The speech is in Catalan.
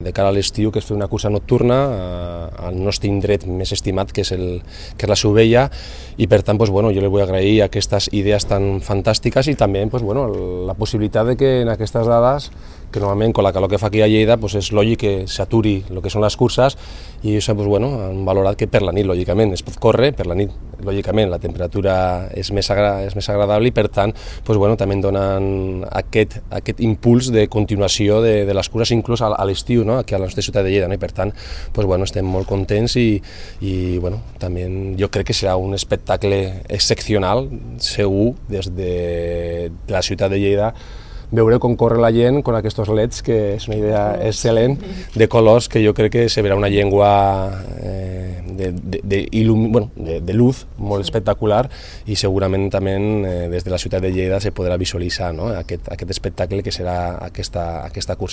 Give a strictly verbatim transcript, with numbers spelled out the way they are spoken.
de cara a l'estiu, que és fer una cursa nocturna al nostre indret més estimat, que és, el, que és la Sovella, i per tant pues, bueno, jo li vull agrair aquestes idees tan fantàstiques i també pues, bueno, la possibilitat de que en aquestes dades, que normalment amb la calor que fa aquí a Lleida pues, és lògic que s'aturi el que són les curses, i això pues, bueno, han valorat que per la nit, lògicament, es pot córrer, per la nit, lògicament, la temperatura és més, agra és més agradable i per tant pues, bueno, també donen aquest, aquest impuls de continuació de, de les curses inclús a, a l'estiu, no? Aquí a la nostra ciutat de Lleida, no? I per tant pues, bueno, estem molt contents i, i bueno, també jo crec que serà un espectacle excepcional, segur, des de la ciutat de Lleida, veure com corre la gent amb aquests leds, que és una idea excel·lent, de colors, que jo crec que se verà una llengua eh, de, de, de, ilum, bueno, de, de luz molt espectacular i segurament també eh, des de la ciutat de Lleida se podrà visualitzar, no? aquest, aquest espectacle que serà aquesta, aquesta cursa.